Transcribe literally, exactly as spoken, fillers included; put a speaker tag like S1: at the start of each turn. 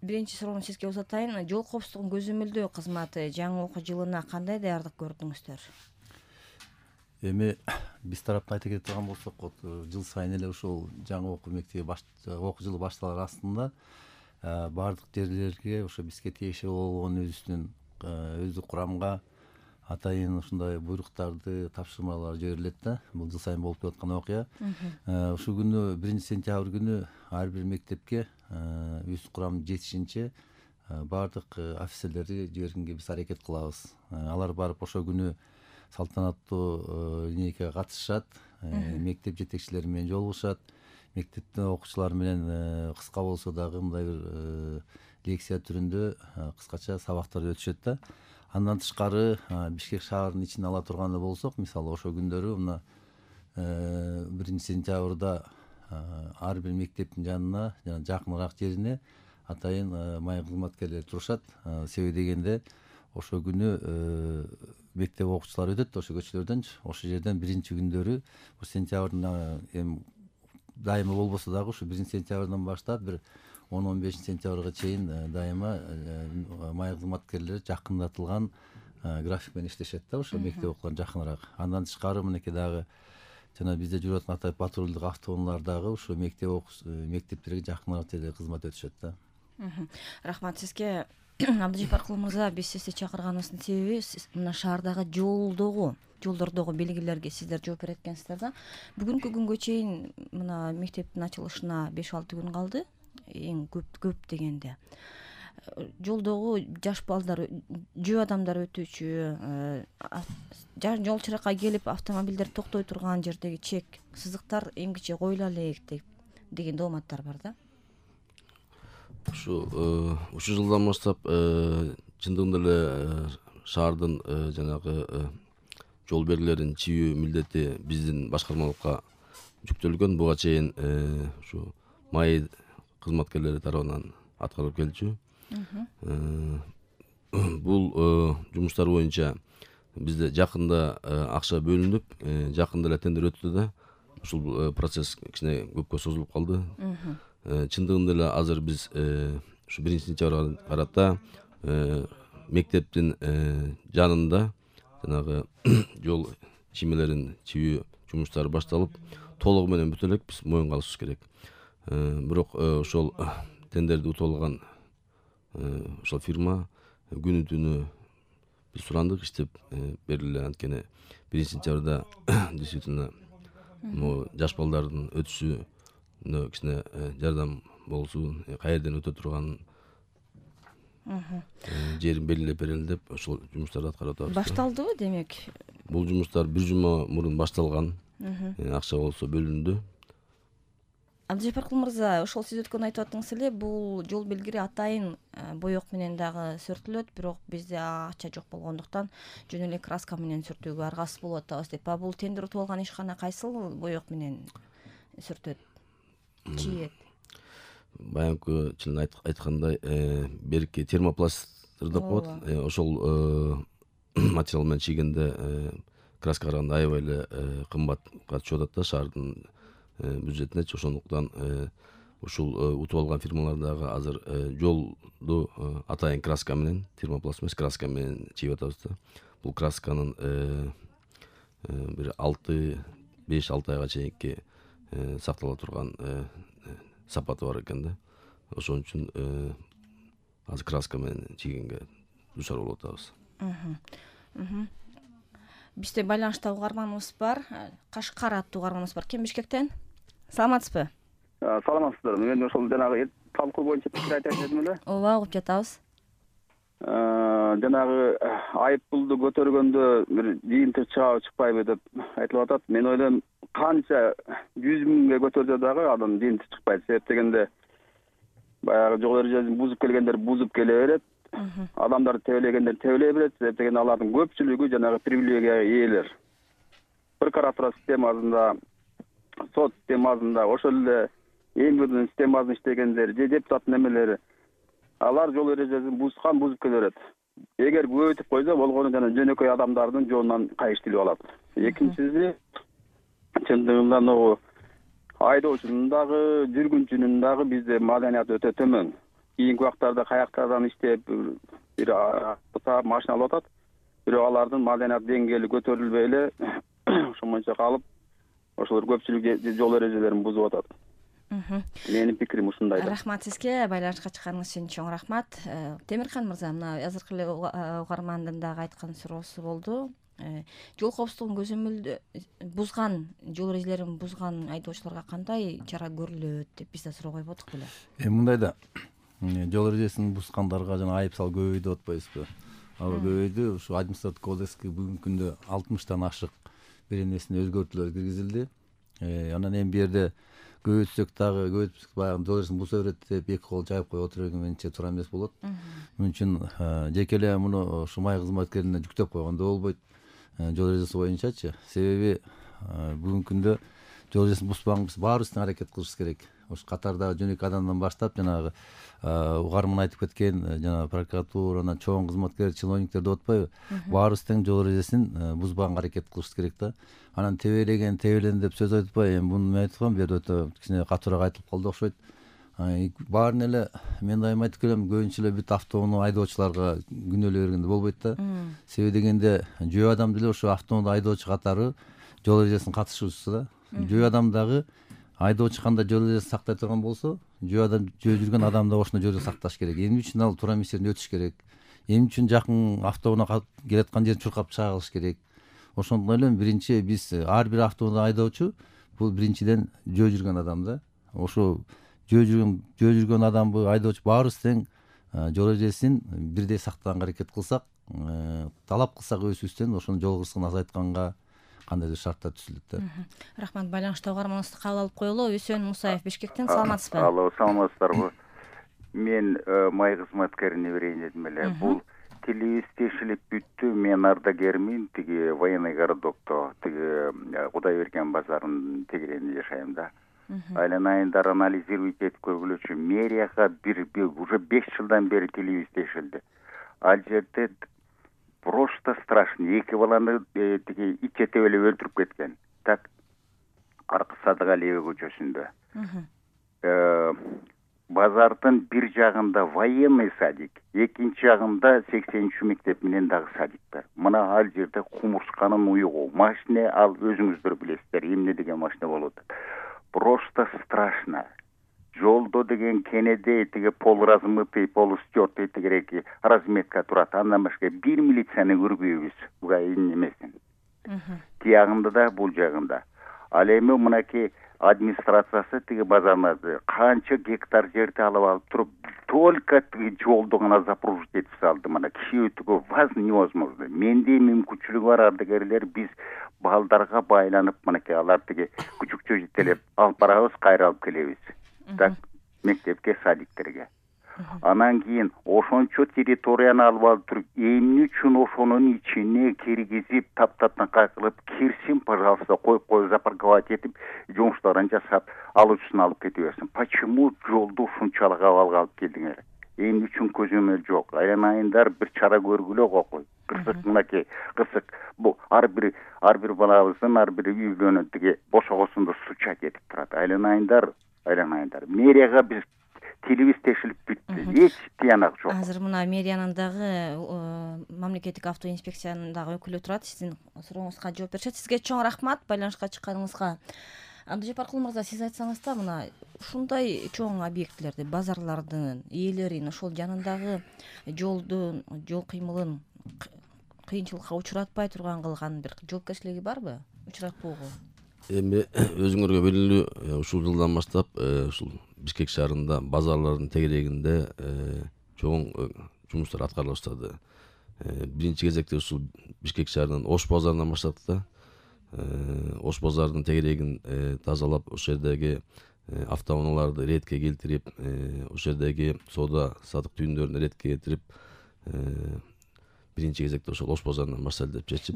S1: биринчи суроону сизге узатайын. Жол коопсуздугун көзөмөлдөө кызматы жаңы окуу жылына кандай даярдык көрдүңүздөр?
S2: Эми биз тараптан айта кетип турган болсок, жыл сайын эле ушул жаңы окуу мектеби окуу жылы башталар астында баардык жерлерге ошо бизге тиешелүү болгон өзүбүздүн өздүк курамга атайын ушундай буйруктарды, тапшырмалар жиберилет да. Бул жыл сайын болуп жаткан окуя. Ушул күнү биринчи сентябрь күнү ар бир мектепке өз курам жетишинче баардык офицерлерди жибергенге биз аракет кылабыз. Алар барып ошол күнү салтанаттуу эмнеге катышышат, мектеп жетекчилери менен жолугушат, мектептин окуучулары менен кыска болсо дагы мындай бир лекция түрүндө кыскача сабактар өтүшөт да. Андан тышкары Бишкек шаарынын ичине ала турган болсок, мисалы ошол күндөрү мына биринчи сентябрда ар бир мектептин жанына, жана жакыныраак жерине атайын майы кызматкерлери турушат. Себеби дегенде ошол күнү мектеп окуучулары өтөт ошо көчөлөрдөнчү. Ошол жерден биринчи күндөрү сентябрдын эми дайыма болбосо дагы ушу биринчи сентябрдан баштап бир он он бешинчи сентябрга чейин дайыма майы кызматкерлери жакындатылган график менен иштешет да, ошо мектеп окууларына жакыныраак. Андан тышкары мынакей дагы жана бизде жүрүп аткан атайын патрулдук автоунаалар дагы ушу мектеп мектептерге жакыныраак жерде кызмат өтүшөт да.
S1: Рахмат сизге. Абдыжапаркул мырза, биз сизди чакырганыбыздын себеби мына шаардагы жолдогу, жолдордогу белгилерге сиздер жооп берет экенсиздер да. Бүгүнкү күнгө чейин мына мектептин ачылышына беш алты күн калды. Эң көп көп дегенде. Жолдогу жаш балдар, жөө адамдар өтүүчү, жол чыракка келип автомобилдер токтой турган жердеги чек, сызыктар эмгиче коюла элек деген дооматтар бар да.
S3: Ушу ушул жылдан баштап чындыгында эле шаардын жанагы жол белгилерин чийүү милдети биздин башкармалыкка жүктөлгөн. Буга чейин ушу май кызматкерлери тарабынан аткарылып келчү. Бул жумуштар боюнча бизде жакында акча бөлүнүп, жакында эле тендер өттү да. Ушул процесс кичине көпкө созулуп калды. Чындыгында эле азыр биз ушу биринчи сентябрга карата мектептин жанында жанагы жол чиймелерин чийүү жумуштары башталып, толугу менен бүтө элек биз моюнга алышыбыз керек. Бирок ошол тендерди утуп алган ошол фирма күнү түнү биз сурандык, иштеп бериле. Анткени биринчи сентябрда действительно могу жаш балдардын өтүшүнө кичине жардам болсун, каерден өтө турганын жерин белгилеп берели деп ошол жумуштарды аткарып атабыз.
S1: Башталдыбы демек?
S3: Бул жумуштар бир жума мурун башталган. Акча болсо бөлүндү.
S1: Абдыжапаркул мырза, ошол сиз өткөн айтып аттыңыз эле, бул жол белгири атайын боек менен дагы сүртүлөт, бирок бизде акча жок болгондуктан жөн эле краска менен сүртүүгө аргасыз болуп атабыз деп. А бул тендер утуп алган ишкана кайсыл боек менен сүртөт, чийет?
S3: Баягы чын айткандай, берки термопластыр деп коет. Ошол материал менен чийгенде краска караганда аябай эле кымбатка түшүп атат да шаардын бюджетине. Ошондуктан ушул утуп алган фирмалар дагы азыр жолду атайын краска менен, термопласт эмес, краска менен чийип атабыз да. Бул красканын бир алты беш алты айга чейинки сактала турган сапаты бар экен да. Ошон үчүн азыр краска менен чийгенге дуушар болуп атабыз.
S1: Бизде байланышта угарманыбыз бар. Кашкар аттуу угарманыбыз бар. Кем Бишкектен? Саламатсызбы?
S4: Саламатсыздар. Мен ошол жанагы талкуу боюнча пикир айтайын дедим эле.
S1: Ооба, угуп жатабыз.
S4: Жанагы айыппулду көтөргөндө бир жыйынтык чыгабы чыкпайбы деп айтылып атат. Мен ойлойм, канча жүз миңге көтөрсө дагы адам жыйынтык чыкпайт. Себеп дегенде баягы жол эрежесин бузуп келгендер бузуп келе берет. Адамдар тебелегендер тебелей берет. Себеп дегенде алардын көпчүлүгү жанагы привилегияга ээлер. Прокуратура системасында, сот системасында, ошол эле эмгидин системасында иштегендер, же депутат немелери, алар жол эрежесин бузган бузуп келе берет. Эгер көбөйтүп койсо, болгону жана жөнөкөй адамдардын жолунан кайыштылып алат. Экинчиси, чындыгында могу айдоочунун дагы, жүргүнчүнүн дагы бизде маданияты өтө төмөн. кийинки убактарда каяктардан иштеп бир саап машина алып атат, бирок алардын маданият деңгээли көтөрүлбөй эле ошомойча калып, ошолор көпчүлүк жол эрежелерин бузуп атат. Менин пикирим ушундай.
S1: Рахмат сизге, байланышка чыкканыңыз үчүн чоң рахмат. Темирхан мырза, мына азыркы эле угармандын дагы айткан суроосу болду. Жол коопсуздугун көзөмөлдө бузган, жол эрежелерин бузган айдоочуларга кандай чара көрүлөт деп биз да суроо койуп атык беле.
S2: Эми мындай да, жол эрежесин бузгандарга жана айып сал көбөйдү деп атпайбызбы? Ал көбөйдү. Ушу административдик кодекске бүгүнкү күндө алтымыштан ашык бир эмесине өзгөртүүлөр киргизилди. Анан эми бу жерде көбөйтсөк дагы көбөйтүп баягы жол эрежесин буза берет деп эки кол жайып коюп отуруп менимче туура эмес болот. Муну үчүн жеке эле муну ушу май кызматкерине жүктөп койгондо болбойт. Жол эрежеси боюнчачы. Себеби бүгүнкү күндө жол эрежесин бузбаган баарыбыз тең аракет кылышыбыз керек. Ушу катардагы жөн эки адамдан баштап жанагы угарман айтып кеткен жана прокуратура, анан чоң кызматкер, чиновниктер деп атпайбы? Баарыбыз тең жол эрежесин бузбаганга аракет кылышыбыз керек да. Анан тебелеген, тебелен деп сөз айтпай, эми муну мен айтып аткам, бу жерде өтө кичине катуураак айтылып калды окшойт. Баарын эле мен дайым айтып келем, көбүнчө эле бүт автоунаа айдоочуларга күнөөлөй бергенде болбойт да. Себеби дегенде жөө адам деле ошо автоунаа айдоочу катары жол эрежесин катышуучусу да. Жөө адам дагы айдоочу кандай жол эрежесин сактай турган болсо, жөө адам жөө жүргөн адам да ошондой жол эрежесин сакташ керек. Эмне үчүн ал туура эмес жерден өтүш керек? Эмне үчүн жакын автоунаа келаткан жерин чуркап чагылыш керек? Ошондой эле биринчи биз ар бир автоунаа айдоочу бул биринчиден жөө жүргөн адам да. Ошо жөө жүргөн жөө жүргөн адамбы, айдоочу баарыбыз тең жол эрежесин бирдей сактаганга аракет кылсак, талап кылсак өзүбүздөн ошонун жол кырсыгын азайтканга кандайдыр шарттар түзүлөт да.
S1: Рахмат, байланышта угарманыбызды кабыл алып коелу. Үсөн Мусаев Бишкектен, саламатсызбы?
S5: Алло, саламатсыздарбы? Мен май кызматкерине берейин дедим эле. Бул телевиз тешилип бүттү. Мен ардагермин, тиги военный городокто, тиги Кудай берген базарынын тегерегинде жашайм да. Айланайындар анализировать этип көргүлөчү. Мэрияга бир уже беш жылдан бери телевиз тешилди. Ал жерде просто страшно. Эки баланы тиги ит жетеп эле өлтүрүп кеткен. Так, Аркы Садыгалиева көчөсүндө. Базардын бир жагында военный садик, экинчи жагында сексенинчи мектеп менен дагы садик бар. Мына ал жерде кумурсканын уюгу, машина, ал өзүңүздөр билесиздер, эмне деген машина болуп атат. Просто страшно. Жолдо деген кенеде тиги полуразмытый, полустертый тигиреки разметка турат. Андан башка бир милицияны көрбөйбүз. Буга эмесин. Тиягында да, бул жагында. Ал эми мынаки администрациясы тиги базарнады канча гектар жерди алып алып туруп, только тиги жолду гана запружить этип салды. Мына киши өтүүгө воз невозможно. Менде мүмкүнчүлүгү бар ардагерлер биз балдарга байланып, мынакей алар тиги күчүкчө жетелеп алып барабыз, кайра алып келебиз. Так, мектепке, садиктерге. Анан кийин ошончо территорияны алып алып туруп, эмне үчүн ошонун ичине киргизип, таптатнакай кылып, кирсин, пожалуйста, коюп коюп запарковать этип, жумуштарын жасап, алуучусун алып кете берсин. Почему жолду ушунчалык абалга алып келдиңер? Эмне үчүн көзөмөл жок? Айланайындар бир чара көргүлө кокой. Кырсык мынакей, кырсык. Бул ар бир ар бир балабыздын ар бир үйлөнүп тиги бошогосунда сучат этип турат. Айланайындар, айланайындар. Мэрияга биз телевиз тешилип бүттү. Эч тыянак жок.
S1: Азыр мына мэриянын дагы мамлекеттик автоинспекциянын дагы өкүлү турат. Сиздин сурооңузга жооп беришет. Сизге чоң рахмат байланышка чыкканыңызга. Абдыжапаркул мырза, сиз айтсаңыз да, мына ушундай чоң объектилерди, базарлардын ээлерин, ошол жанындагы жолдун, жол кыймылын кыйынчылыкка учуратпай турган кылган бир жоопкерчилиги барбы? Учуратпоого?
S3: Эми өзүңөргө белгилүү, ушул жылдан баштап ушул Бишкек шаарында базарлардын тегерегинде чоң жумуштар аткарыла баштады. Биринчи кезекте ушул Бишкек шаарынын Ош базарынан баштадык да. Ош базарынын тегерегин тазалап, ошол жердеги автоунааларды ретке келтирип, ошол жердеги соода сатык түйүндөрүн ретке келтирип, биринчи кезекте ошол Ош базарынан баштайлы деп чечип